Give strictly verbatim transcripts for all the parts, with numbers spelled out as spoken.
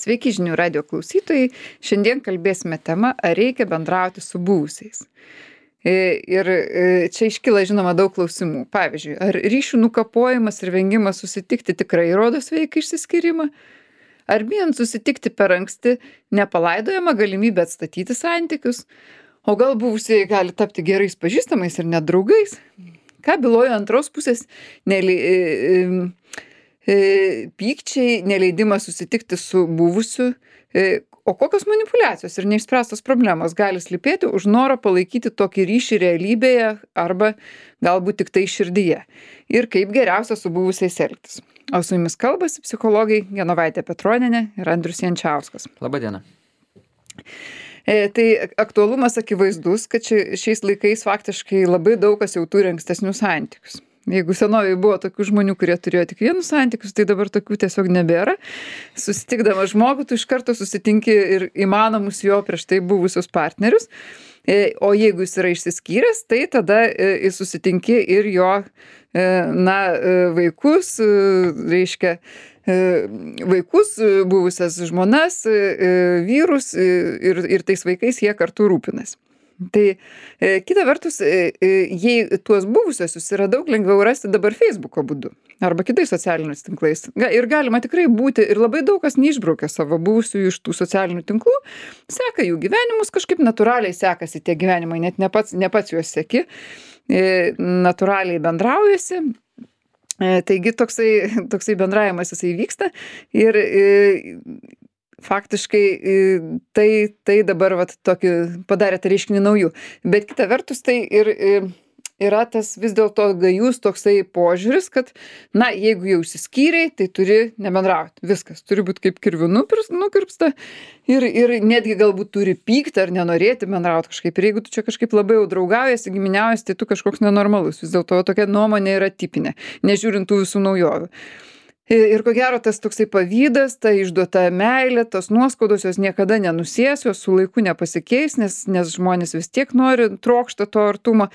Sveiki žinių radijo klausytojai. Šiandien kalbėsime tema, ar reikia bendrauti su buvusiais. E, Ir e, čia iškyla, žinoma, daug klausimų. Pavyzdžiui, ar ryšių nukapojimas ir vengimas susitikti tikrai rodo sveiką išsiskyrimą? Ar bijant susitikti per anksti nepalaidojama galimybė atstatyti santykius? O gal buvusieji gali tapti gerais pažįstamais ir net draugais? Ką byloja antros pusės nelei, e, e, pykčiai, neleidimas susitikti su buvusiu? E, o kokios manipuliacijos ir neišspręstos problemos gali slypėti už norą palaikyti tokį ryšį realybėje arba galbūt tik tai širdyje? Ir kaip geriausia su buvusiais elgtis? O su jumis kalbasi psichologai Genovaitė Petronienė ir Andrius Jančiauskas. Labadiena. E, tai aktualumas akivaizdus, kad ši, šiais laikais faktiškai labai daug kas jau turi ankstesnius santykius. Jeigu senovėje buvo tokių žmonių, kurie turėjo tik vienus santykius, tai dabar tokių tiesiog nebėra. Susitikdamas žmogų, tu iš karto susitinki ir įmanomus jo prieš tai buvusius partnerius. E, o jeigu jis yra išsiskyręs, tai tada e, susitinki ir jo e, na, e, vaikus, e, reiškia, vaikus, buvusias žmonas, vyrus ir, ir tais vaikais jie kartu rūpinas. Tai kita vertus, jei tuos buvusiosius yra daug lengviau rasti dabar Facebooko būdu arba kitais socialiniais tinklais. Ir galima tikrai būti, ir labai daug kas neišbraukia savo buvusių iš tų socialinių tinklų, seka jų gyvenimus, kažkaip natūraliai sekasi tie gyvenimai, net ne pats, ne pats juos seki, natūraliai bendraujasi. Taigi toksai, toksai bendravimas jisai vyksta ir e, faktiškai e, tai, tai dabar vat, tokį padarė tą reiškinį naujų. Bet kita vertus tai ir e, yra tas vis dėlto gajus toksai požiūris, kad na, jeigu jau išsiskyrei, tai turi nebendrauti. Viskas turi būti kaip kirviu nukirpsta ir, ir netgi galbūt turi pykti ar nenorėti bendrauti kažkaip. Ir jeigu tu čia kažkaip labai jau draugaujasi, giminiaujasi, tai tu kažkoks nenormalus. Vis dėlto tokia nuomonė yra tipinė, nežiūrint tų visų naujovių. Ir ko gero tas toksai pavydas, ta išduota meilė, tos nuoskaudos jos niekada nenusės, jos su laiku nepasikeis, nes, nes žmonės vis tiek nori, trokšta to artumo.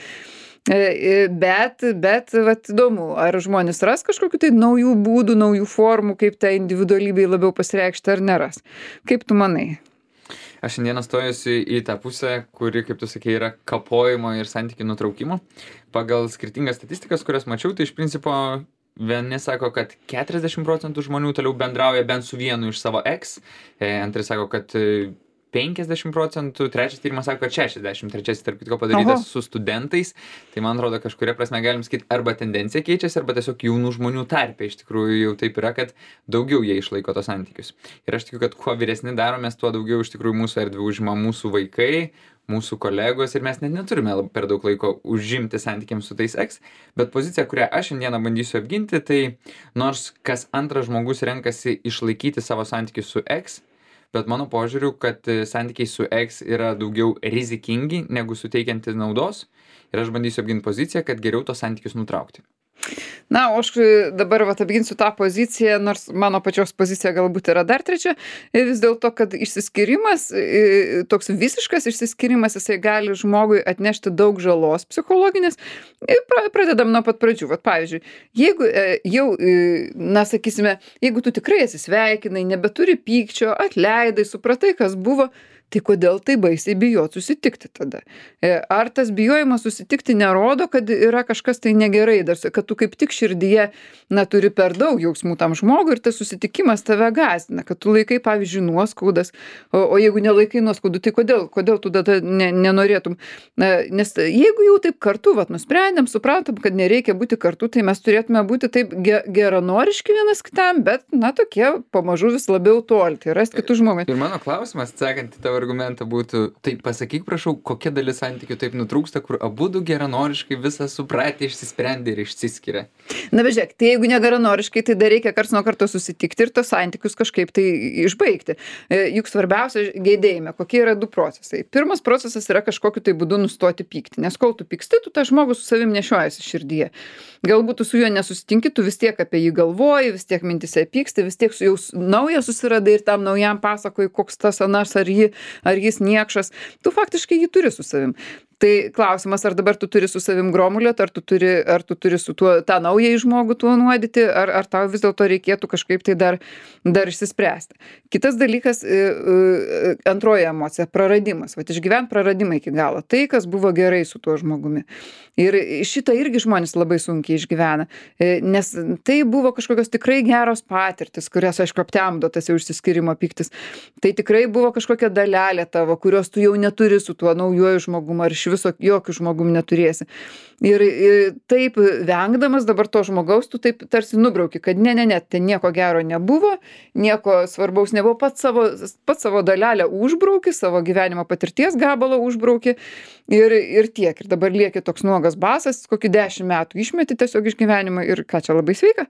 Bet, bet vat, įdomu, ar žmonės ras kažkokiu tai naujų būdų, naujų formų, kaip tą individualybei labiau pasireikšti ar neras. Kaip tu manai? Aš šiandieną stojusi į tą pusę, kuri, kaip tu sakei, yra kapojimo ir santykių nutraukimo. Pagal skirtingas statistikas, kurias mačiau, tai iš principo vieni sako, kad keturiasdešimt procentų žmonių toliau bendrauja bent su vienu iš savo ex, antrai sako, kad penkiasdešimt procentų, trečias tyrimas sako, kad šešiasdešimt, trečias tarp kitko padarytas Oho. Su studentais, tai man atrodo kažkuria prasme galim sakyti, arba tendencija keičiasi, arba tiesiog jaunų žmonių tarpe iš tikrųjų jau taip yra, kad daugiau jie išlaiko tos santykius. Ir aš tikiu, kad kuo vyresni daromės, tuo daugiau iš tikrųjų mūsų erdvių užima mūsų vaikai, mūsų kolegos ir mes net neturime per daug laiko užimti santykiams su tais ex, bet pozicija, kurią aš šiandieną bandysiu apginti, tai nors kas antras žmogus renkasi išlaikyti savo santykius su ex, bet mano požiūriu, kad santykiai su ex yra daugiau rizikingi negu suteikianti naudos ir aš bandysiu apginti poziciją, kad geriau tos santykius nutraukti. Na, o aš dabar vat, apginsiu tą poziciją, nors mano pačios pozicija galbūt yra dar trečia, vis dėlto, kad išsiskyrimas, toks visiškas išsiskyrimas, jisai gali žmogui atnešti daug žalos psichologinės. Pradedam nuo pat pradžių. Vat, pavyzdžiui, jeigu jau, na, sakysime, jeigu tu tikrai atsisveikinai, nebeturi pykčio, atleidai, supratai, kas buvo, tai kodėl tai baisiai bijot susitikti tada? Ar tas bijojimas susitikti nerodo, kad yra kažkas tai negerai, dar, kad tu kaip tik širdyje, na, turi per daug jausmų tam žmogui ir tas susitikimas tave gąsdina, kad tu laikai, pavyzdžiui, nuoskaudas, o, o jeigu nelaikai nuoskaudų, tai kodėl, kodėl tu tada ne, nenorėtum? Na, nes jeigu jau taip kartu, vat, nusprendėm, suprantam, kad nereikia būti kartu, tai mes turėtume būti taip ge, geranoriški vienas kitam, bet, na, tokie pamažu vis labiau tolti, rasti kitų žmogų. Ir mano klausimas, atsakant į tavo argumentą būtų, tai pasakyk, prašau, kokia dalis santykių taip nutrūksta, kur abudu geranoriškai visą supratę išsisprendė ir išsiskiria. Na, bet žiūrėk, tai jeigu negeranoriškai, tai dar reikia karts nuo karto susitikti ir tos santykius kažkaip tai išbaigti. Juk svarbiausia gedėjime, kokie yra du procesai. Pirmas procesas yra kažkokiu tai būdu nustoti pykti, nes kol tu pyksti, tu tą žmogų su savim nešiojasi širdyje. Galbūt tu su juo nesusitinki, tu vis tiek apie jį galvoji, vis tiek mintise pyksti, vis tiek su jau naują susiradai ir tam naujam pasakoji, koks tas anas ar jį, ar jis niekšas. Tu faktiškai jį turi su savim. Tai klausimas, ar dabar tu turi su savim gromulėt, ar tu turi, ar tu turi su tuo, tą naująjį žmogų tuo nuodyti, ar, ar tau vis dėlto reikėtų kažkaip tai dar, dar išsispręsti. Kitas dalykas, antroji emocija - praradimas. Vat išgyvent praradimą iki galo. Tai, kas buvo gerai su tuo žmogumi. Ir šitą irgi žmonės labai sunkiai išgyvena, nes tai buvo kažkokios tikrai geros patirtis, kurias, aišku, aptemdo tas jau išsiskyrimo pyktis. Tai tikrai buvo kažkokia dalelė tavo, kurios tu jau neturi su tuo naujuoju žmogumu, ar iš viso jokių žmogum neturėsi. Ir, ir taip vengdamas dabar to žmogaus, tu taip tarsi nubrauki, kad ne, ne, ne, ten nieko gero nebuvo, nieko svarbaus nebuvo, pats savo, pats savo dalelę užbrauki, savo gyvenimo patirties gabalą užbrauki ir, ir tiek. Ir dabar lieki toks nuogas basas, kokį dešimt metų išmeti tiesiog iš gyvenimo ir ką čia labai sveika.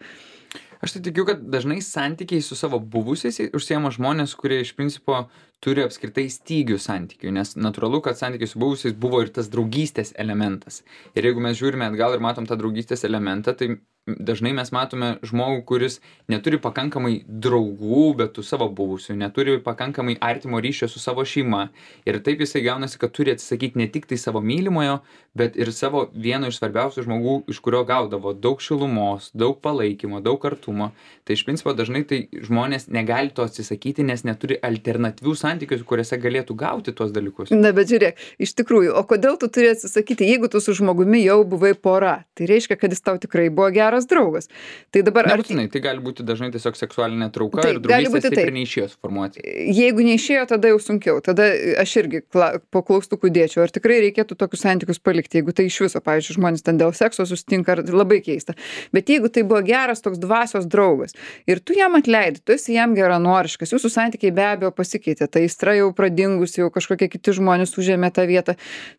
Aš tai tikiu, kad dažnai santykiai su savo buvusiais užsiema žmonės, kurie iš principo turi apskritai stygių santykių, nes natūralu, kad santykiai su buvusiais buvo ir tas draugystės elementas. Ir jeigu mes žiūrime atgal ir matom tą draugystės elementą, tai dažnai mes matome žmogų, kuris neturi pakankamai draugų, bet tų savo buvusių, neturi pakankamai artimo ryšio su savo šeima. Ir taip jisai gaunasi, kad turi atsisakyti ne tik tai savo mylimojo, bet ir savo vieno iš svarbiausių žmogų, iš kurio gaudavo daug šilumos, daug palaikymo, daug artumo. Tai iš principo dažnai tai žmonės negali to atsisakyti, nes neturi alternatyvių santykių, kuriuose galėtų gauti tuos dalykus. Na, bet žiūrėk, iš tikrųjų, o kodėl tu turi atsisakyti, jeigu tu su žmogumi jau buvai pora? Tai reiškia, kad jis tau tikrai buvo geras draugas. Tai dabar... Nebūtinai, tai gali būti dažnai tiesiog seksualinė trauka taip, ir draugystės taip ir neišėjo suformuoti. Jeigu neišėjo, tada jau sunkiau. Tada aš irgi kla, po klaustukų dėčiau, ar tikrai reikėtų tokius santykius palikti, jeigu tai iš viso, pavyzdžiui, žmonės ten dėl sekso susitinka, labai keista. Bet jeigu tai buvo geras toks dvasios draugas ir tu jam atleidi, tu esi jam geranoriškas, jūsų santykiai be abejo pasikeitė, tai aistra jau pradingus, jau kažkokie kiti žmonės užėmė tą vietą.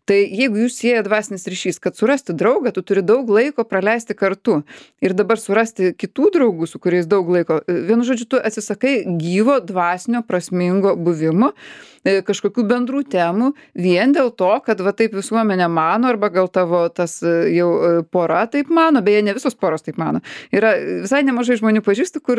Tai jeigu jūs sieja dvasinis ryšys, kad surasti draugą, tu turi daug laiko praleisti kartu. Ir dabar surasti kitų draugų, su kuriais daug laiko, vienu žodžiu, tu atsisakai gyvo, dvasinio, prasmingo buvimo, kažkokių bendrų temų, vien dėl to, kad va taip visuomenė mano, arba gal tavo tas jau pora taip mano, beje, ne visos poros taip mano. Yra visai nemažai žmonių pažįstu, kur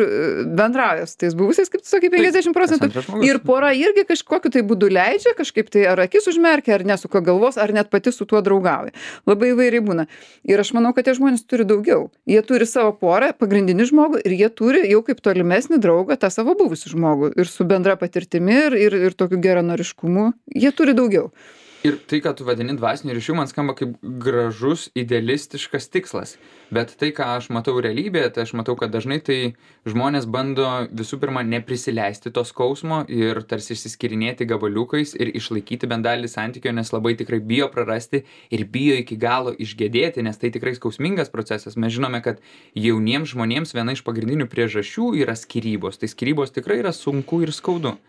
bendrauja su tais buvusiais, kaip tu sakai, penkiasdešimt procentų. Ir pora irgi kažkokiu tai būdu leidžia, kažkaip tai ar akis užmerkia, ar nesuka galvos, ar net pati su tuo draugauja. Labai įvairiai būna. Ir aš manau, kad tie žmonės turi daugiau. Jie turi savo porą, pagrindinį žmogų, ir jie turi jau kaip tolimesnį draugą tą savo buvusį žmogų. Ir su bendra patirtimi, ir, ir, ir tokiu geranoriškumu. Jie turi daugiau. Ir tai, ką tu vadini dvasiniu ryšiu, man skamba kaip gražus, idealistiškas tikslas. Bet tai, ką aš matau realybėje, tai aš matau, kad dažnai tai žmonės bando visų pirma neprisileisti to skausmo ir tarsi išsiskirinėti gabaliukais ir išlaikyti bent dalį santykio, nes labai tikrai bijo prarasti ir bijo iki galo išgedėti, nes tai tikrai skausmingas procesas. Mes žinome, kad jauniems žmonėms viena iš pagrindinių priežasčių yra skyrybos. Tai skyrybos tikrai yra sunku ir skaudu.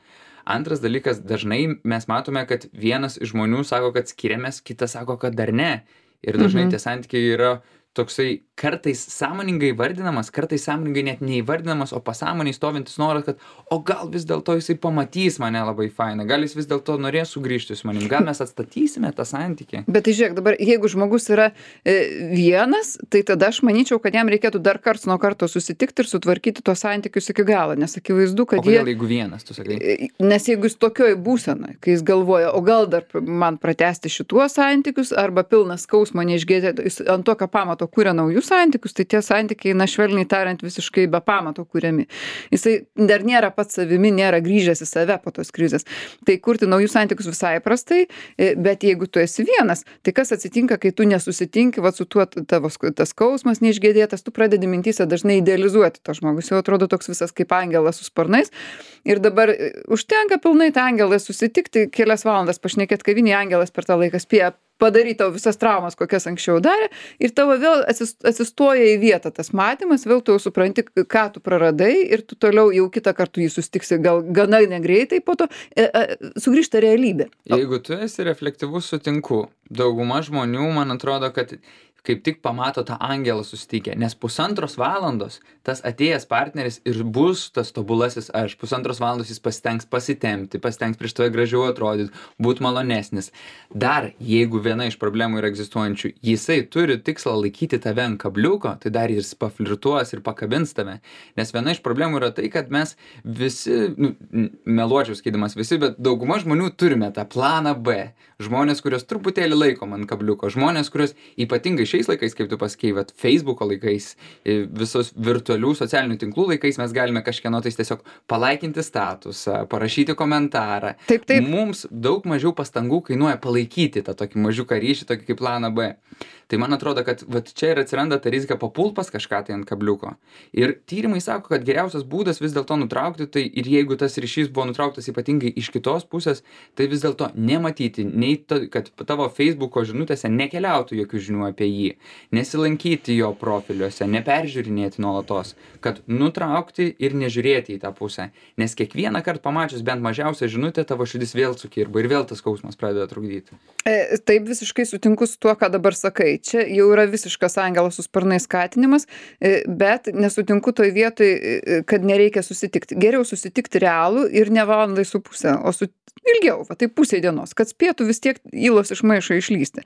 Antras dalykas, dažnai mes matome, kad vienas iš žmonių sako, kad skiriamės, kitas sako, kad dar ne. Ir dažnai mhm. tie santykiai yra toksai kartais sąmoningai vardinamas, kartais sąmoningai net neįvardinamas, o pasąmoniai stovintis noras, kad o gal vis dėlto jisai pamatys mane labai fainą, gal jis vis dėlto norės sugrįžti su manim, gal mes atstatysime tą santykį. Bet tai žiūrėk, dabar jeigu žmogus yra e, vienas, tai tada aš manyčiau, kad jam reikėtų dar karts nuo karto susitikti ir sutvarkyti tos santykius iki galo, nes akivaizdu, kad o kodėl, jie... jeigu vienas, tu sakai? Nes jeigu jis tokioj būsenoj, kai jis galvoja, o gal dar man pratęsti šituos santykius, arba pilnas skausmo neišgėdė, jis ant tokio pamato kuria naujus santykius, tai tie santykiai, na švelniai tariant, visiškai be pamato kuriami. Jisai dar nėra pats savimi, nėra grįžęs į save po tos krizės. Tai kurti naujus santykius visai prastai, bet jeigu tu esi vienas, tai kas atsitinka, kai tu nesusitinki, va su tuo tavo tas skausmas neišgėdėtas, tu pradedi mintyse dažnai idealizuoti to žmogus, jau atrodo toks visas kaip angelas su sparnais. Ir dabar užtenka pilnai tą angelą susitikti, kelias valandas pašnekėt kavinėje, angelas per tą laiką spėja padaryti tau visas traumas, kokias anksčiau darė, ir tavo vėl atsistoja į vietą tas matymas, vėl tu jau supranti, ką tu praradai, ir tu toliau jau kitą kartą jį susitiksi gal gana negreitai, po to e, e, sugrįžta realybė. Jeigu tu esi reflektyvus, sutinku. Dauguma žmonių, man atrodo, kad kaip tik pamato tą angelą susitikę, nes pusantros valandos tas atėjęs partneris ir bus tas tobulasis aš. Pusantros valandos jis pasitengs pasitempti, pasitengs prieš tave gražiau atrodyti, būt malonesnis. Dar, jeigu viena iš problemų yra egzistuojančių, jisai turi tikslą laikyti tave ant kabliuko, tai dar jis paflirtuos ir pakabins tave. Nes viena iš problemų yra tai, kad mes visi, nu, meluočiau skaidamas visi, bet dauguma žmonių turime tą planą B. Žmonės, kurios truputėlį laikom ant kabliuko. Žmonės, kurios ypatingai šiais laikais, kaip tu pasakei, vat, Facebooko laikais, visos virtualių socialinių tinklų laikais mes galime kažkieno tais tiesiog palaikinti statusą, parašyti komentarą. Taip, taip. Mums daug mažiau pastangų kainuoja palaikyti tą tokį mažiuką ryšį, tokį kaip planą B. Tai man atrodo, kad vat, čia ir atsiranda ta rizika papult pas kažką tai ant kabliuko. Ir tyrimai sako, kad geriausias būdas vis dėlto nutraukti, tai ir jeigu tas ryšys buvo nutrauktas ypatingai iš kitos pusės, tai vis dėlto nematyti, nei to, kad tavo Facebooko žinutėse nekeliautų jokių žinių apie jį, nesilankyti jo profiliuose, neperžiūrinėti nuolatos, kad nutraukti ir nežiūrėti į tą pusę. Nes kiekvieną kartą pamačius bent mažiausią žinutę, tavo širdis vėl sukirba ir vėl tas skausmas pradeda trukdyti. E, taip visiškai sutinku su tuo, ką dabar sakai. Čia jau yra visiškas angelo su sparnais skatinimas, e, bet nesutinku toj vietoj, e, kad nereikia susitikti. Geriau susitikti realų ir ne valandai su pusę, o su ilgiau, va, tai pusė dienos, kad spėtų vis tiek įlos iš maišo išlysti.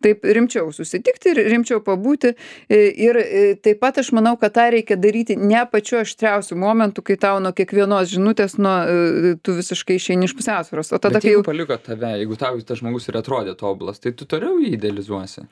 Taip rimčiau susitikti ir rimčiau pabūti. Ir taip pat aš manau, kad tą reikia daryti ne pačiu aštriausiu momentu, kai tau nuo kiekvienos žinutės nuo, tu visiškai išeini iš pusiausvyros. O tada, bet jeigu jau paliko tave, jeigu tau tas žmogus ir atrodė tobulas, tai tu toliau jį idealizuosi.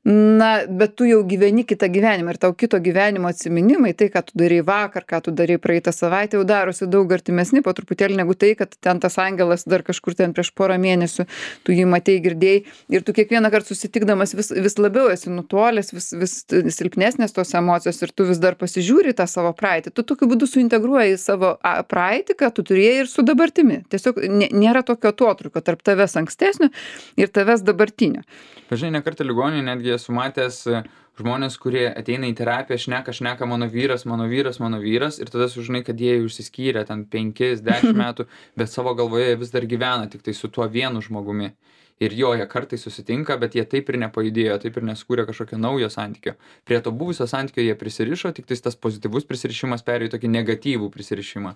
Na, bet tu jau gyveni kitą gyvenimą ir tau kito gyvenimo atsiminimai, tai, ką tu darei vakar, ką tu darei praeitą savaitę, jau darosi daug artimesni po truputėlį negu tai, kad ten tas angelas dar kažkur ten prieš porą mėnesių, tu jį matei, girdėjai ir tu kiekvieną kartą susitikdamas vis, vis labiau esi nutolęs, vis, vis silpnesnės tos emocijos ir tu vis dar pasižiūri tą savo praeitį. Tu tokiu būdu suintegruoji savo praeitį, ką tu turėjai ir su dabartimi. Tiesiog nėra tokio atotrūkio tarp tavęs ankstesnio ir tavęs dabartinio. Pažinai, ne kartą ligoninėje netgi esu matęs žmonės, kurie ateina į terapiją, šneka, šneka mano vyras, mano vyras, mano vyras ir tada sužinai, kad jie jau išsiskyrė ten penkis, dešimt metų, bet savo galvoje vis dar gyvena tik tai su tuo vienu žmogumi. Ir jo, jie kartais susitinka, bet jie taip ir nepajudėjo, taip ir neskūrė kažkokio naujo santykio. Prie to buvusio santykio jie prisirišo, tik tai tas pozityvus prisirišimas perėjo į tokį negatyvų prisirišimą.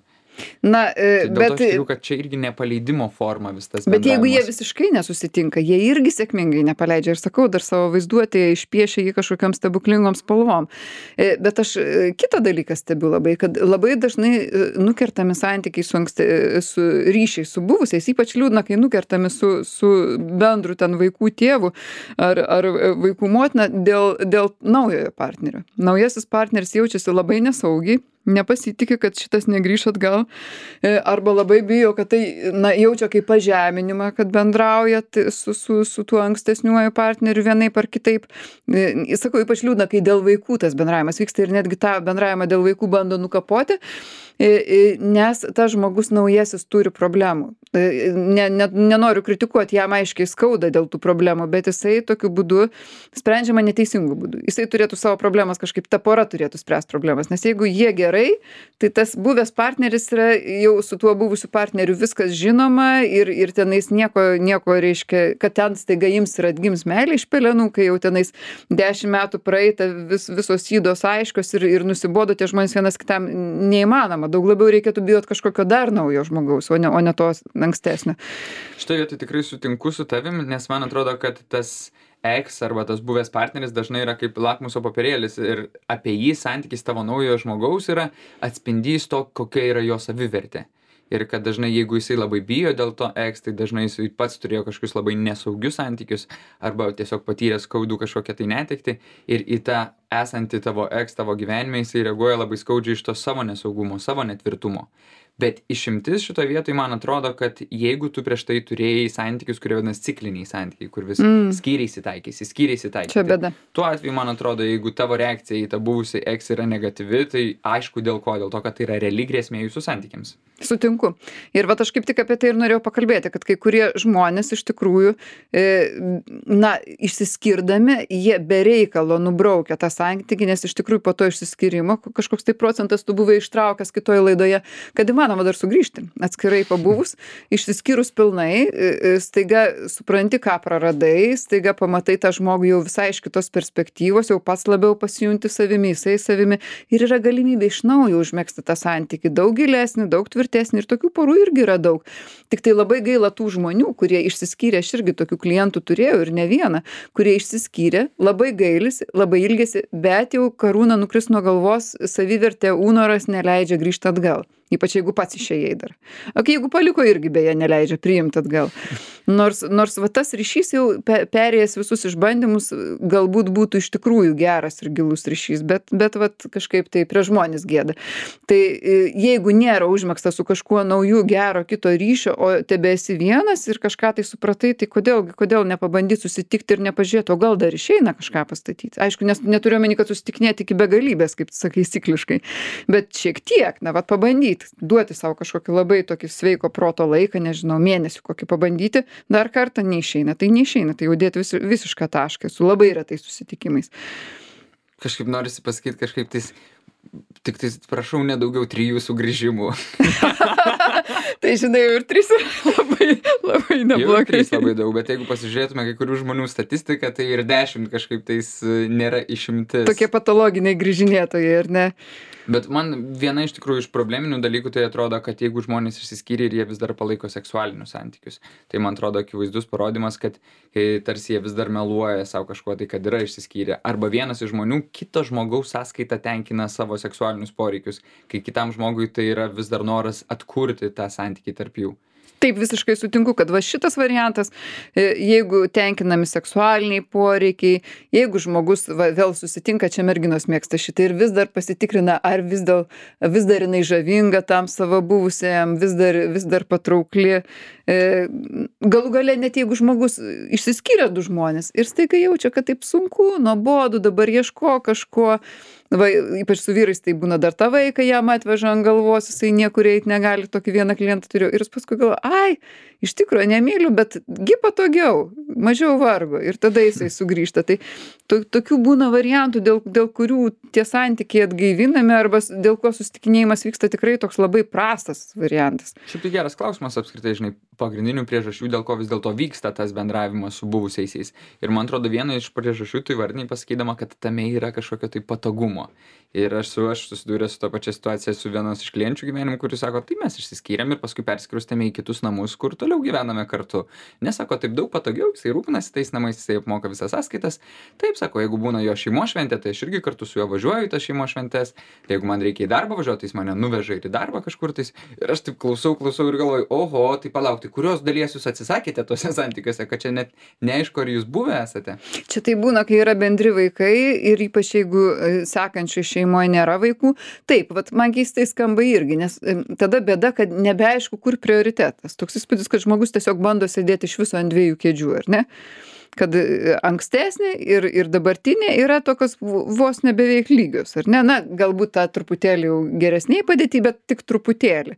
Na, e, tai bet... Aš turiu, kad čia irgi nepaleidimo forma vis tas bet jeigu jie visiškai nesusitinka, jie irgi sėkmingai nepaleidžia. Ir sakau, dar savo vaizduotėje išpiešia jį kažkokiam stebuklingom spalvom. E, bet aš kitą dalyką stebiu labai, kad labai dažnai nukertami santykiai su, anksti, su ryšiai su buvusiais, ypač liūdna, kai nukertami su, su bendru ten vaikų tėvu ar, ar vaikų motina dėl, dėl naujojo partnerio. Naujasis partneris jaučiasi labai nesaugiai, nepasitikė, kad šitas negrįš atgal, arba labai bijo, kad tai na, jaučia kaip pažeminimą, kad bendrauja su, su, su tuo ankstesniuoju partneriu vienaip ar kitaip. Sakau, ypač liūdna, kai dėl vaikų tas bendravimas vyksta ir netgi tą bendravimą dėl vaikų bando nukapoti, nes tas žmogus naujasis turi problemų. Ne, ne, nenoriu kritikuoti, jam aiškiai skauda dėl tų problemų, bet jisai tokiu būdu sprendžiama neteisingu būdu. Jisai turėtų savo problemas kažkaip, ta pora turėtų spręsti problemas, nes jeigu jie gerai, tai tas buvęs partneris yra jau su tuo buvusiu partneriu viskas žinoma ir, ir tenais nieko, nieko reiškia, kad ten staiga ims ir atgims meilė iš pelenų, kai jau tenais dešimt metų praeita, vis, visos ydos aiškios ir, ir nusibodo tie žmonės vienas kitam neįmanoma. Daug labiau reikėtų bijot kažkokio dar naujo žmogaus, o ne, o ne tos ankstesnio. Štai vietoj tikrai sutinku su tavim, nes man atrodo, kad tas ex arba tas buvęs partneris dažnai yra kaip lakmuso popierėlis ir apie jį santykis tavo naujojo žmogaus yra atspindys to, kokia yra jo savivertė. Ir kad dažnai, jeigu jisai labai bijo dėl to ex, tai dažnai jisai pats turėjo kažkokius labai nesaugius santykius arba tiesiog patyrė skaudų kažkokią tai netektį ir į tą esantį tavo ex tavo gyvenime jisai reaguoja labai skaudžiai iš to savo nesaugumo, savo netvirtumo. Bet išimtis šitoje vietoje man atrodo, kad jeigu tu prieš tai turėjai santykius, kurie vadinasi cikliniai santykiai, kur vis mm. skyriai taikėsi, skyriai taikėsi. Čia bėda. Tuo atveju, man atrodo, jeigu tavo reakcija į tą buvusią ex yra negatyvi, tai aišku dėl ko, dėl to, kad tai yra reali grėsmė jūsų santykiams. Sutinku. Ir vat aš kaip tik apie tai ir norėjau pakalbėti, kad kai kurie žmonės iš tikrųjų, e, na, išsiskirdami, jie be reikalo nubraukia tą santykį, nes iš tikrųjų po to išsiskyrimo kažkoks tai procentas tu buvai ištraukęs kitoje laidoje, kad įmanoma įmanoma dar sugrįžti, atskirai pabuvus, išsiskyrus pilnai, staiga supranti, ką praradai, staiga pamatai tą žmogų jau visai iš kitos perspektyvos, jau pats labiau pasijunti savimi, jisai savimi ir yra galimybė iš naujo užmegzti tą santykį, daug gilesnį, daug tvirtesnį ir tokių porų irgi yra daug. Tik tai labai gaila tų žmonių, kurie išsiskyrė, aš irgi tokių klientų turėjau ir ne vieną, kurie išsiskyrė, labai gailisi, labai ilgesi, bet jau karūna nukris nuo galvos, savivertė, ūnoras neleidžia grįžti atgal. Ypač jeigu pats išėjai dar. O jeigu paliko, irgi beje neleidžia priimti atgal. Nors, nors va, tas ryšys jau pe, perėjęs visus išbandymus, galbūt būtų iš tikrųjų geras ir gilus ryšys, bet, bet va, kažkaip tai prie žmonės gėda. Tai jeigu nėra užmegzta su kažkuo nauju gero kito ryšio, o tebe esi vienas ir kažką tai supratai, tai kodėl, kodėl nepabandyti susitikti ir nepažiūrėti, o gal dar išeina kažką pastatyti. Aišku, nes neturiu omeny, kad susitikinėti iki begalybės, kaip tu sakai, cikliškai, bet šiek tiek, na, va, pabandyti. Duoti savo kažkokį labai tokį sveiko proto laiką, nežinau, mėnesį kokį pabandyti, dar kartą neišeina. Tai neišeina, tai jau dėti vis, visišką tašką su labai retais susitikimais. Kažkaip norisi pasakyti, kažkaip tais, tik tais, prašau, nedaugiau trijų sugrįžimų. Tai žinai, jau ir trys labai, labai neblogai. Jau ir trys labai daug, bet jeigu pasižiūrėtume kai kurių žmonių statistiką, tai ir dešimt kažkaip tais nėra išimtis. Tokie patologiniai grįžinėtojai, ar ne? Bet man viena iš tikrųjų iš probleminių dalykų tai atrodo, kad jeigu žmonės išsiskyrė ir jie vis dar palaiko seksualinius santykius, tai man atrodo akivaizdus parodymas, kad tarsi jie vis dar meluoja savo kažkuo tai, kad yra išsiskyrę. Arba vienas iš žmonių kito žmogaus sąskaita tenkina savo seksualinius poreikius, kai kitam žmogui tai yra vis dar noras atkurti tą santykį tarp jų. Taip, visiškai sutinku, kad va šitas variantas, jeigu tenkinami seksualiniai poreikiai, jeigu žmogus va, vėl susitinka, čia merginos mėgsta šitą ir vis dar pasitikrina, ar vis, dėl, vis dar jinai žavinga tam savo buvusiam, vis dar, vis dar patraukli. Galų gale net jeigu žmogus išsiskyrė du žmonės ir staiga jaučia, kad taip sunku, nuobodu, dabar ieško kažko, va, ypač su vyrais tai būna dar tą vaiką jam atveža ant galvos, jisai niekur eit negali, tokį vieną klientą turiu ir jis paskui galvoja, ai, iš tikrųjų nemyliu, bet gi patogiau, mažiau vargo ir tada jisai sugrįžta. Tai to, tokių būna variantų, dėl, dėl kurių tie santykiai atgaivinami arba dėl ko susitikinėjimas vyksta tikrai toks labai prastas variantas. Šiaip tai geras klausimas apskritai, žinai, pagrindinių priežasčių, dėl ko vis dėlto vyksta tas bendravimas su buvusiaisiais. Ir man atrodo, viena iš priežasčių tu įvardinai pasakydama, kad tame yra kažkokio tai patogumo. Ir aš su aš susidūręs su to pačia situacija su vienos iš klienčių gyvenimu, kuris sako, tai mes išsiskyrėm ir paskui persikraustėme į kitus namus, kur toliau gyvename kartu. Nesako, taip daug patogiau, jisai rūpinasi tais namais, jisai apmoka visas sąskaitas. Taip, sako, jeigu būna jo šeimos šventė, tai aš irgi kartu su juo važiuoju į tas šeimos šventės. Tai jeigu man reikia į darbą važiuoti, tai jis mane nuveža ir į darbą kažkur tais. Ir aš taip klausau, klausau ir galvoju, oho, tai palaukti, kurios dalies jūs atsisakėte tuose santykiuose, kad čia net neaišku, ar jūs buvę esate. Čia tai būna, kai yra bendri vaikai ir ypač jeigu sekančiai šeimoje nėra vaikų. Taip, vat man keistai skamba irgi, nes tada bėda, kad nebeaišku, kur prioritetas. Toks įspūdis, kad žmogus tiesiog bando sėdėti iš viso ant dviejų kėdžių, ar ne? Kad ankstesnė ir, ir dabartinė yra tokios vos nebeveik lygios, ar ne? Na, galbūt tą truputėlį jau geresniai padėti, bet tik truputėlį.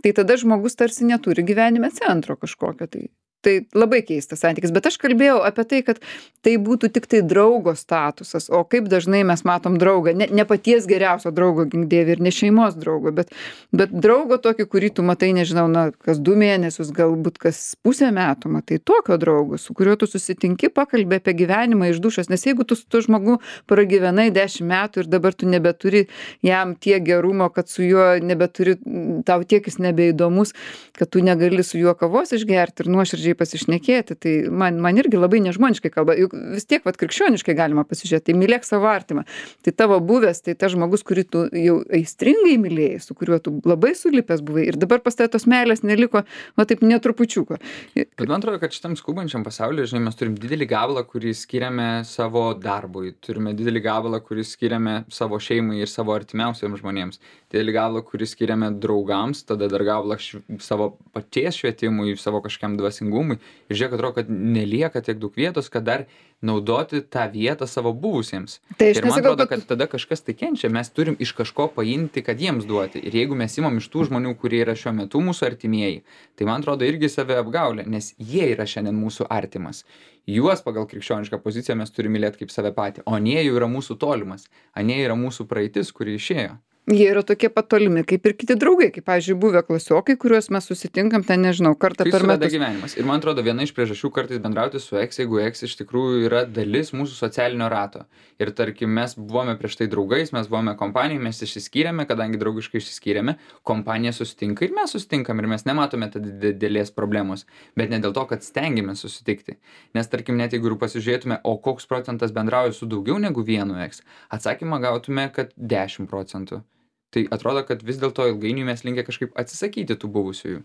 Tai tada žmogus tarsi neturi gyvenime centro kažkokio tai. Tai labai keistas santykis, bet aš kalbėjau apie tai, kad tai būtų tik tai draugo statusas, o kaip dažnai mes matom draugą, ne, ne paties geriausio draugo gink-dieve ir ne šeimos draugo, bet, bet draugo tokį, kurį tu matai, nežinau, na, kas du mėnesius, galbūt kas pusę metų matai, tokio draugo, su kuriuo tu susitinki, pakalbė apie gyvenimą iš dušos, nes jeigu tu su tuo žmogu pragyvenai dešimt metų ir dabar tu nebeturi jam tiek gerumo, kad su juo nebeturi, tau tiek jis nebeįdomus, kad tu negali su juo kavos išgerti ir nuoširdžiai pasišnekėti, tai man, man irgi labai nežmoniškai kalba, juk vis tiek vat krikščioniškai galima pasižiūrėti, tai mylėk savo artimą, tai tavo buvęs, tai tas žmogus, kurį tu jau aistringai mylėjai, su kuriuo tu labai sulipęs buvai ir dabar pas tave tos meilės neliko, va taip netrupučiuko. Bet man atrodo, kad šitam skubančiam pasaulyje, žinai, mes turim didelį gabalą, kurį skiriame savo darbui, turime didelį gabalą, kurį skiriame savo šeimai ir savo artimiausiems žmonėms, didelį gabalą, kurį skiriame draugams, tada dar gabalą šv... savo paties švietimui, savo kažkiam dvasingumui. Ir žiūrėk, atrodo, kad nelieka tiek daug vietos, kad dar naudoti tą vietą savo buvusiems. Tai ir man atrodo, kad tada kažkas tai kenčia, mes turim iš kažko paimti, kad jiems duoti. Ir jeigu mes imam iš tų žmonių, kurie yra šiuo metu mūsų artimieji, tai man atrodo irgi save apgaulė, nes jie yra šiandien mūsų artimas. Juos pagal krikščionišką poziciją mes turime mylėti kaip save patį, o anie jau yra mūsų tolimas, anie yra mūsų praeitis, kuri išėjo. Jie yra tokie pat tolimi, kaip ir kiti draugai, kaip, pavyzdžiui, buvę klasiokai, kuriuos mes susitinkam ten, nežinau, kartą Kai per suveda metus. gyvenimas. Ir man atrodo, viena iš priežasčių kartais bendrauti su eks, jeigu eks iš tikrųjų yra dalis mūsų socialinio rato. Ir tarkim, mes buvome prieš tai draugais, mes buvome kompanijai, mes išsiskyrėme, kadangi draugiškai išsiskyrėme, kompanija susitinka ir mes susitinkam ir mes nematome tada didelės problemos. Bet ne dėl to, kad stengiamės susitikti. Nes tarkim, net jeigu ir pasižiūrėtume, o koks procentas bendrauja su daugiau negu vienu eks, atsakymą gautume, kad dešimt procentų. Tai atrodo, kad vis dėlto ilgainiui mes linkę kažkaip atsisakyti tų buvusiųjų.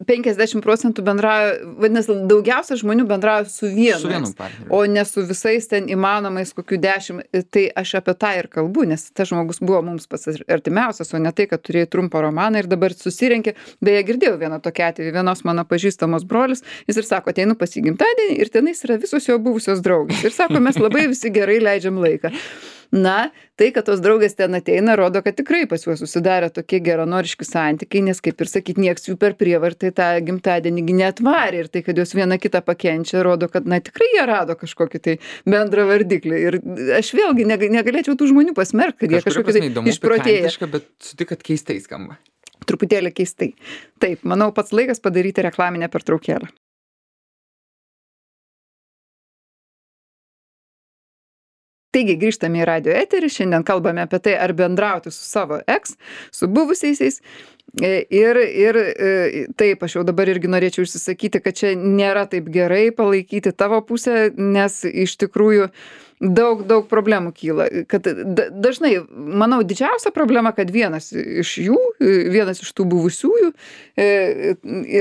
penkiasdešimt procentų bendrauja, vadinasi, daugiausia žmonių bendrauja su vienu. Su vienu eks, partneriu. O ne su visais ten įmanomais kokių dešimt. Tai aš apie tą ir kalbu, nes tas žmogus buvo mums pats artimiausias, o ne tai, kad turėjai trumpą romaną ir dabar susirenkė. Beje, girdėjau vieną tokią atvejį, vienos mano pažįstamos brolis, jis ir sako, ateinu pas jį gimtadienį ir tenais yra visos jo buvusios draugės. Ir sako, mes labai visi gerai leidžiam laiką. Na, tai, kad tos draugės ten ateina, rodo, kad tikrai pas juos susidarė tokie geranoriški santykiai, nes, kaip ir sakyt, nieks jų per prievartą tą gimtadienį neatvarė. Ir tai, kad jos viena kitą pakenčia, rodo, kad, na, tikrai jie rado kažkokį tai bendrą vardiklį. Ir aš vėlgi negalėčiau tų žmonių pasmerkti, kad jie kažkokie tai išprotėję. Bet sutik, kad keistai skamba. Truputėlį keistai. Taip, manau, pats laikas padaryti reklaminę pertraukėlę. Taigi grįžtame į radio eterį, šiandien kalbame apie tai, ar bendrauti su savo eks, su buvusiaisiais. Ir, ir taip, aš jau dabar irgi norėčiau išsisakyti, kad čia nėra taip gerai palaikyti tavo pusę, nes iš tikrųjų daug, daug problemų kyla. Kad dažnai, manau, didžiausia problema, kad vienas iš jų, vienas iš tų buvusiųjų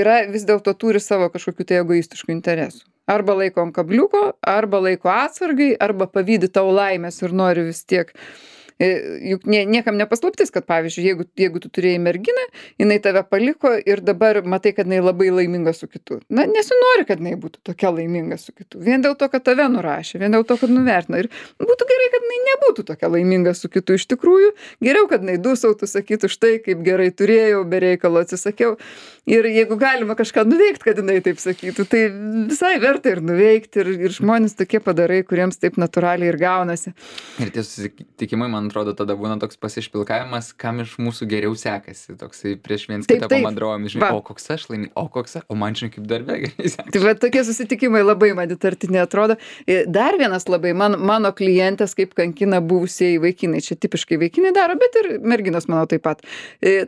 yra vis dėlto turi savo kažkokių tai egoistiškų interesų. Arba laiko ant kabliuko, arba laiko atsargai, arba pavydi tau laimės ir nori vis tiek. Juk nie, niekam nepaslaptis, kad pavyzdžiui, jeigu, jeigu tu turėjai merginą, jinai tave paliko ir dabar matai, kad jinai labai laiminga su kitu. Na, nesinori, kad jinai būtų tokia laiminga su kitu. Vien dėl to, kad tave nurašė, vien dėl to, kad nuvertino. Ir būtų gerai, kad jinai nebūtų tokia laiminga su kitu. Iš tikrųjų, geriau, kad jinai dusautų, sakytų štai, kaip gerai turėjau, be reikalo atsisakiau. Ir jeigu galima kažką nuveikti, kad jinai taip sakytų, tai visai verta ir nuveikti. Ir, ir žmonės tokie padarai, kuriems taip natūraliai ir gaunasi. Ir tie susitikimai, man atrodo, tada būna toks pasišpilkavimas, kam iš mūsų geriau sekasi. Toksai prieš viens kitą pamandruojam, žinai, o koks aš laimė, o koks aš, o man žinai kaip darbe gerai sekasi. Tai va, tokie susitikimai labai man įtartini atrodo. Dar vienas labai, man, mano klientės kaip kankina buvusieji vaikinai. Čia tipiškai vaikinai daro, bet ir merginos, manau, taip pat.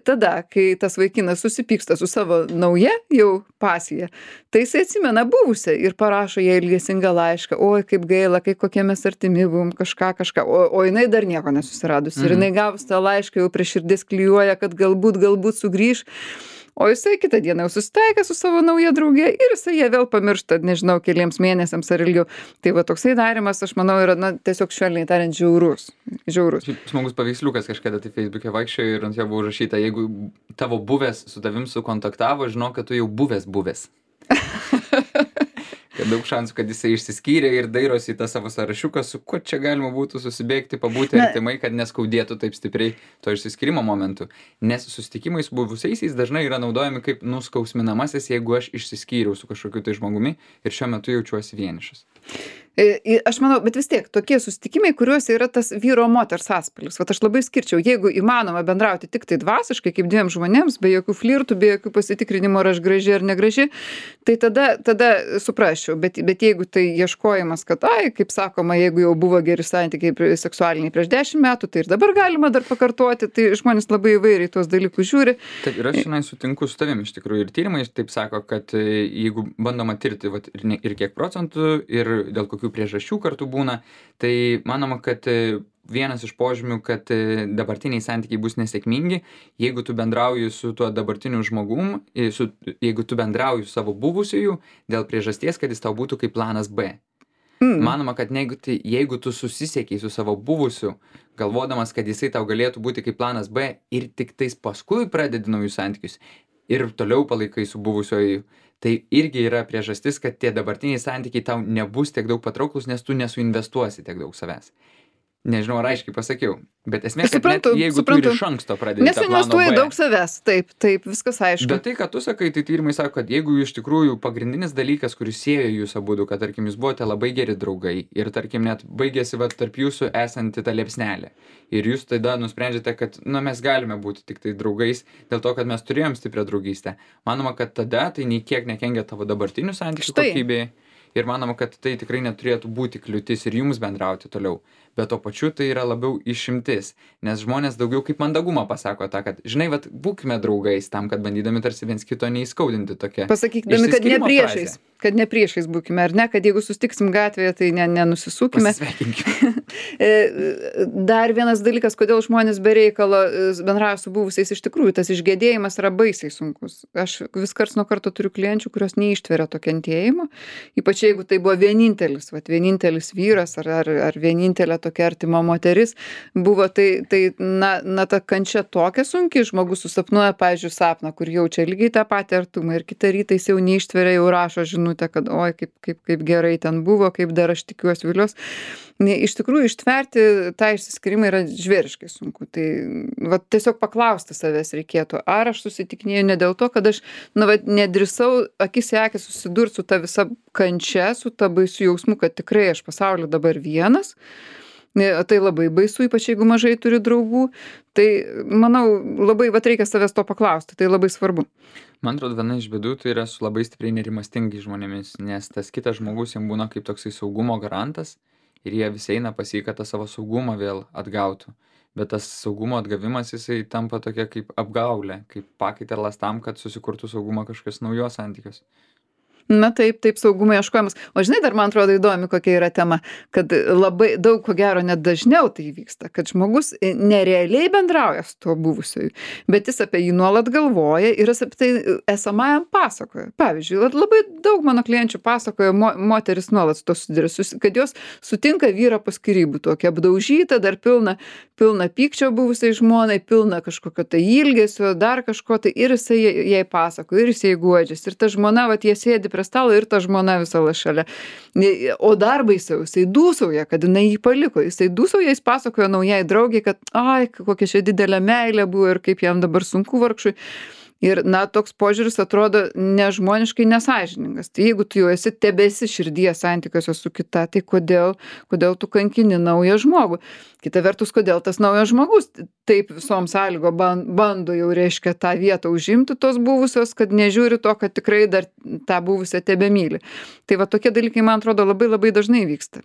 Tada, kai tas vaikinas susipyksta su savo nauja jau pasija, tai jisai atsimena buvusią ir parašo jai ilgesingą laišką. Oi, kaip gaila, kai kokie mes artimi buvom, kažką, kažką. O, o jinai dar nieko nesusiradus. Ir jinai gavus tą laišką jau prie širdis klijuoja, kad galbūt, galbūt sugrįž. O jisai kitą dieną jau susitaikė su savo nauja draugė ir jisai ją vėl pamiršta, nežinau, keliems mėnesiams ar ilgiau. Tai va toksai darimas, aš manau, yra, na, tiesiog švelniai tariant, žiaurus. Žiaurus. Smagus paveiksliukas kažkada tai Facebook'e vaikščiojo ir ant jo buvo užrašyta, jeigu tavo buvęs su tavim sukontaktavo, žinok, kad tu jau buvęs buvęs. Kad daug šansų, kad jisai išsiskyrė ir dairosi į tą savo sąrašiuką, su kuo čia galima būtų susibėgti, pabūti artimai, kad neskaudėtų taip stipriai to išsiskyrimo momentu. Nes susitikimai su buvusiaisiais dažnai yra naudojami kaip nuskausminamasis, jeigu aš išsiskyriau su kažkokiu tai žmogumi ir šiuo metu jaučiuosi vienišas. Aš manau, bet vis tiek, tokie susitikimai, kuriuose yra tas vyro moters atspalvis. Vat aš labai skirčiau, jeigu įmanoma bendrauti tik tai dvasiškai, kaip dviem žmonėms, be jokių flirtų, be jokių pasitikrinimo, ar aš graži ar negraži, tai tada, tada suprasčiau. Bet, bet jeigu tai ieškojimas, kad, ai, kaip sakoma, jeigu jau buvo geri santykiai seksualiniai prieš dešimt metų, tai ir dabar galima dar pakartoti, tai žmonės labai įvairiai tuos dalykus žiūri. Taip, ir aš šiandien sutinku su tavim, iš tikrųjų, ir tyrimai taip sako, kad jeigu bandoma tirti vat, ir, ne, ir kiek procentų, ir dėl kokių priežasčių kartu būna, tai manoma, kad vienas iš požymių, kad dabartiniai santykiai bus nesėkmingi, jeigu tu bendrauji su tuo dabartiniu žmogum, su, jeigu tu bendrauji su savo buvusiųjų dėl priežasties, kad jis tau būtų kaip planas B. Mm. Manoma, kad jeigu, tai, jeigu tu susisiekiai su savo buvusiu, galvodamas, kad jisai tau galėtų būti kaip planas B ir tik tais paskui pradedi naujus santykius ir toliau palaikai su buvusioju, tai irgi yra priežastis, kad tie dabartiniai santykiai tau nebus tiek daug patrauklus, nes tu nesuinvestuosi tiek daug savęs. Nežinau, ar aiškiai pasakiau, bet esmė, Aš kad net suprantu, jeigu tu suprantu. ir iš anksto pradedi Nes tą planą investuoji B. daug savęs, taip, taip, viskas aišku. Bet tai, ką tu sakai, tai tyrimai sako, kad jeigu iš tikrųjų pagrindinis dalykas, kuris siejo jūs abudu, kad tarkim jūs buvote labai geri draugai ir tarkim net baigėsi va, tarp jūsų esanti ta liepsnelė. Ir jūs tada nusprendžiate, kad na, mes galime būti tik tai draugais dėl to, kad mes turėjom stiprią draugystę. Manoma, kad tada tai nei kiek nekengia tavo dabartinių santykių Štai. kokybei. Ir manoma, kad tai tikrai neturėtų būti kliūtis ir jums bendrauti toliau. Bet to pačiu tai yra labiau išimtis, nes žmonės daugiau kaip mandagumą pasako tą, kad, žinai, vat, būkime draugais tam, kad bandydami tarsi viens kito neįskaudinti tokia. Pasakykdami, kad ne priešais, frazė. kad ne priešais būkime, ar ne, kad jeigu sustiksim gatvėje, tai ne, nenusisukime. Dar vienas dalykas, kodėl žmonės be reikalo bendrauja su buvusiais, iš tikrųjų, tas išgėdėjimas yra baisiai sunkus. Aš vis karts nuo karto turiu klienčių, kurios neištveria to kentėjimo, ypač jeigu tai buvo vienintelis, vat, vienintelis vyras ar, ar, ar vienintelė tokia artima moteris, buvo tai, tai na, na, ta kančia tokia sunki, žmogus susapnuoja, pavyzdžiui, sapną, kur jaučia lygiai tą patį artumą ir kitą rytą jis jau neištveria, jau rašo žinutę, kad oi, kaip, kaip, kaip gerai ten buvo, kaip dar aš tikiuosi vilios. Iš tikrųjų, ištverti tą išsiskyrimą yra žvėriškai sunku. Tai va, tiesiog paklausti savęs reikėtų, ar aš susitikinėjau ne dėl to, kad aš na, va, nedrįsau akis į akį susidurti su ta visa kančia, su ta baisiu jausmu, kad tikrai aš pasaulyje dabar vienas. Tai labai baisu, ypač jeigu mažai turi draugų. Tai, manau, labai vat, reikia savęs to paklausti, tai labai svarbu. Man atrodo, viena iš bėdų tai yra su labai stipriai nerimastingi žmonėmis, nes tas kitas žmogus jam būna kaip toksai saugumo garantas ir jie visi eina pas jį, kad tą savo saugumą vėl atgautų. Bet tas saugumo atgavimas jisai tampa tokia kaip apgaulė, kaip pakaitalas tam, kad susikurtų saugumą kažkas naujos santykios. Na taip, taip, saugumo ieškojimas. O žinai, dar man atrodo įdomi, kokia yra tema, kad labai daug, ko gero, net dažniau tai vyksta, kad žmogus nerealiai bendrauja su tuo buvusiu, bet jis apie jį nuolat galvoja ir jis apie tai esamajam pasakoja. Pavyzdžiui, labai daug mano klienčių pasakoja, mo, moteris nuolat su to susiduria, kad jos sutinka vyrą po skyrybų, tokia apdaužyta, dar pilna, pilna pykčio buvusiai žmonai, pilna kažkokio tai ilgesio, dar kažko tai ir jisai jai pasakoja, ir jisai guodžiasi. Ir ta žmona, vat, jie sėdi prie stalo ir ta žmona visą šalia. O dar baisiau, jisai dūsauja, kad jinai jį paliko. Jisai dūsauja, jis pasakoja naujai draugiai, kad ai, kokia čia didelė meilė buvo ir kaip jam dabar sunku vargšui. Ir, na, toks požiūris atrodo nežmoniškai nesąžiningas. Tai jeigu tu jau esi tebesi širdies santykiuose su kita, tai kodėl, kodėl tu kankini naują žmogų? Kita vertus, kodėl tas naujas žmogus taip visom sąlygo bando jau, reiškia, tą vietą užimti tos buvusios, kad nežiūri to, kad tikrai dar tą buvusią tebemyli. Tai va tokie dalykai, man atrodo, labai labai dažnai vyksta.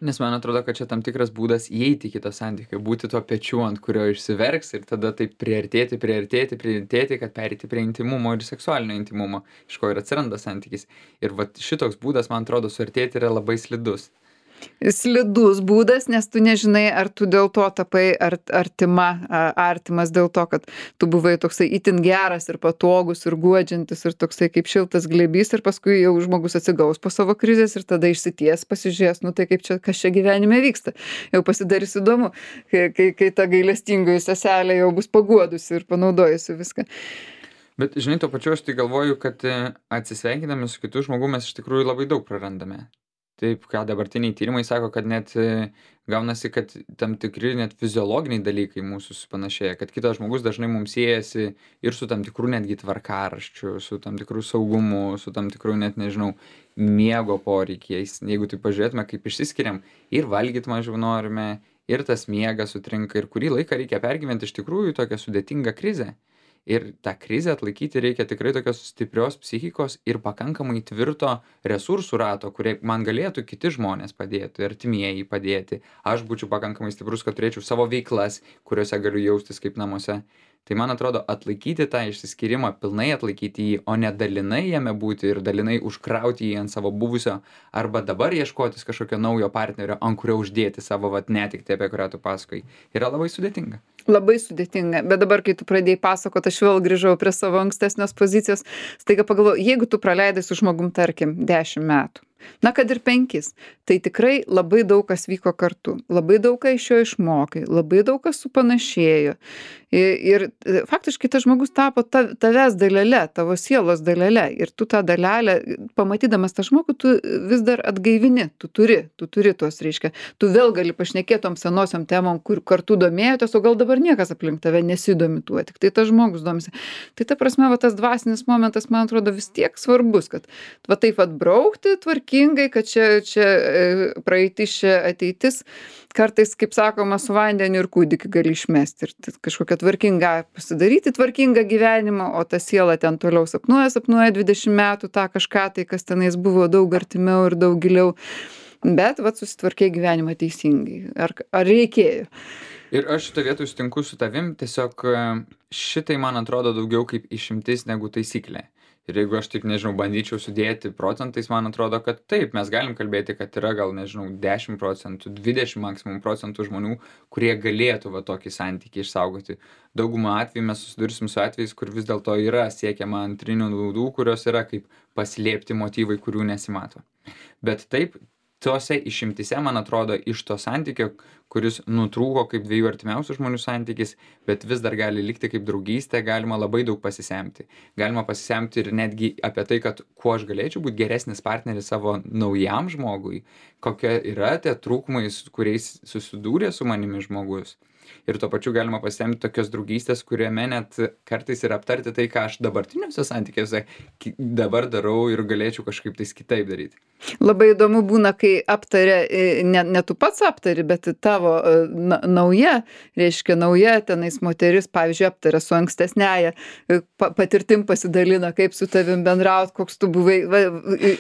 Nes man atrodo, kad čia tam tikras būdas įeiti į kitą santykį, būti tuo pečiu, ant kurio išsiverks ir tada taip priartėti, priartėti, priartėti, kad pereiti prie intimumo ir seksualinio intimumo, iš ko ir atsiranda santykis. Ir va šitoks būdas, man atrodo, suartėti yra labai slidus. Slidus būdas, nes tu nežinai, ar tu dėl to tapai art, artima, artimas dėl to, kad tu buvai toksai itin geras ir patogus ir guodžiantis ir toksai kaip šiltas glėbys ir paskui jau žmogus atsigaus po savo krizės ir tada išsities, pasižiūrės, nu tai kaip čia, kas čia gyvenime vyksta. Jau pasidarys įdomu, kai, kai, kai ta gailestingoji seselė jau bus paguodusi ir panaudojusi viską. Bet žinai, tuo pačiu aš tai galvoju, kad atsisveikindami su kitu žmogu mes iš tikrųjų labai daug prarandame. Taip, ką dabartiniai tyrimai sako, kad net gaunasi, kad tam tikri net fiziologiniai dalykai mūsų supanašėja, kad kitas žmogus dažnai mums siejasi ir su tam tikrų netgi tvarkaraščiu, su tam tikrų saugumu, su tam tikrų net, nežinau, miego poreikiais. Jeigu tai pažiūrėtume, kaip išsiskiriam, ir valgyti mažiau norime, ir tas miegas sutrinka, ir kurį laiką reikia pergyventi iš tikrųjų tokią sudėtingą krizę. Ir tą krizę atlaikyti reikia tikrai tokios stiprios psichikos ir pakankamai tvirto resursų rato, kurie man galėtų kiti žmonės padėti, artimieji padėti. Aš būčiau pakankamai stiprus, kad turėčiau savo veiklas, kuriuose galiu jaustis kaip namuose. Tai man atrodo, atlaikyti tą išsiskyrimą, pilnai atlaikyti jį, o ne dalinai jame būti ir dalinai užkrauti jį ant savo buvusio, arba dabar ieškotis kažkokio naujo partnerio, ant kurio uždėti savo vat netektį, apie kurią tu pasakoji, yra labai sudėtinga. Labai sudėtinga, bet dabar, kai tu pradėjai pasakot, aš vėl grįžau prie savo ankstesnės pozicijos, staiga pagalvojau, jeigu tu praleidai su žmogum, tarkim, dešimt metų, na kad ir penkis, tai tikrai labai daug kas vyko kartu, labai daug ką iš jo išmokai, labai daug kas supanašėjo. Ir, ir faktiškai tas žmogus tapo ta, tavęs dalele, tavo sielos dalele. Ir tu tą dalelę, pamatydamas tą žmogų, tu vis dar atgaivini, tu turi, tu turi tos, reiškia, tu vėl gali pašnekėti tom senosiom temom, kur kartu domėjotės, o gal dabar niekas aplink tave nesidomi tuo, tik tai tas žmogus domisi. Tai ta prasme, va, tas dvasinis momentas, man atrodo, vis tiek svarbus, kad va taip atbraukti tvarkingai, kad čia, čia praeitis, čia ateitis. Kartais, kaip sakoma, su vandeniu ir kūdikį gali išmesti ir kažkokią tvarkingą pasidaryti, tvarkingą gyvenimą, o ta siela ten toliau sapnuoja, sapnuoja dvidešimt metų tą kažką, tai kas tenais buvo daug artimiau ir daug giliau. Bet, va, susitvarkė gyvenimą teisingai. Ar, ar reikėjo? Ir aš šitą vietą sutinku su tavim, tiesiog šitai man atrodo daugiau kaip išimtis negu taisyklė. Ir jeigu aš tik, nežinau, bandyčiau sudėti procentais, man atrodo, kad taip, mes galim kalbėti, kad yra gal, nežinau, dešimt procentų, dvidešimt maksimum procentų žmonių, kurie galėtų va tokį santykį išsaugoti. Daugumą atvejų mes susidursim su atvejais, kur vis dėlto yra siekiama antrinių naudų, kurios yra kaip paslėpti motyvai, kurių nesimato. Bet taip, tose išimtise, man atrodo, iš to santykio, kuris nutrūko kaip dviejų artimiausių žmonių santykis, bet vis dar gali likti kaip draugystė, galima labai daug pasisemti. Galima pasisemti ir netgi apie tai, kad kuo aš galėčiau būti geresnis partneris savo naujam žmogui, kokie yra tie trūkumai, kuriais susidūrė su manimi žmogus. Ir tuo pačiu galima pasisemti tokios draugystės, kuriame net kartais ir aptarti tai, ką aš dabartiniuose santykiuose dabar darau ir galėčiau kažkaip tais kitaip daryti. Labai įdomu būna, kai aptarė, ne, ne tu pats aptari, bet tavo na, nauja, reiškia nauja tenais moteris, pavyzdžiui, aptarė su ankstesnėje, pa, patirtim pasidalina, kaip su tavim bendraut, koks tu buvai. Va,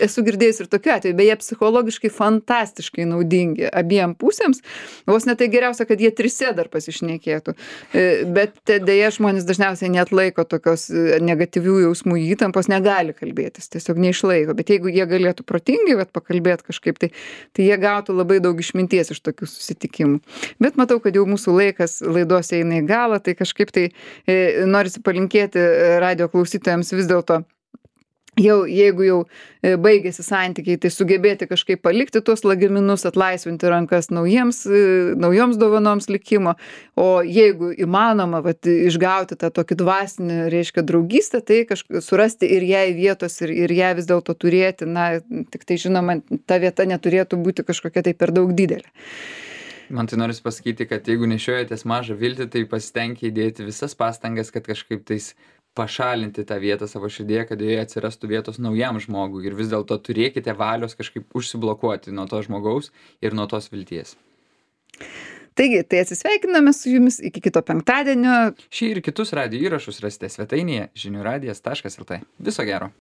esu girdėjęs ir tokiu atveju, beje, psichologiškai fantastiškai naudingi abiem pusėms. Vos ne tai geriausia, kad jie trise dar pasišnekėtų. Bet dėja žmonės dažniausiai neatlaiko tokios negatyvių jausmų įtampos, negali kalbėtis, tiesiog neišlaiko. Bet jeigu jie galėtų protingai vat pakalbėti kažkaip, tai, tai jie gautų labai daug išminties iš tokių susitikimų. Bet matau, kad jau mūsų laikas laidos eina į galą, tai kažkaip tai e, norisi palinkėti radijo klausytojams vis dėlto, jau, jeigu jau e, baigėsi santykiai, tai sugebėti kažkaip palikti tuos lagaminus, atlaisvinti rankas naujiems, e, naujoms dovanoms likimo, o jeigu įmanoma vat, išgauti tą tokį dvasinį, reiškia, draugystę, tai kažkaip surasti ir jai vietos ir, ir ją vis dėlto turėti, na, tik tai žinoma, ta vieta neturėtų būti kažkokia tai per daug didelė. Man tai norisi pasakyti, kad jeigu nešiojatės mažą viltį, tai pasitenkite įdėti visas pastangas, kad kažkaip tais pašalinti tą vietą savo širdėje, kad joje atsirastų vietos naujam žmogui ir vis dėlto turėkite valios kažkaip užsiblokuoti nuo to žmogaus ir nuo tos vilties. Taigi, tai atsisveikiname su jumis iki kito penktadienio. Šį ir kitus radijo įrašus rasite svetainėje žinių radijas taškas el tė. Viso gero.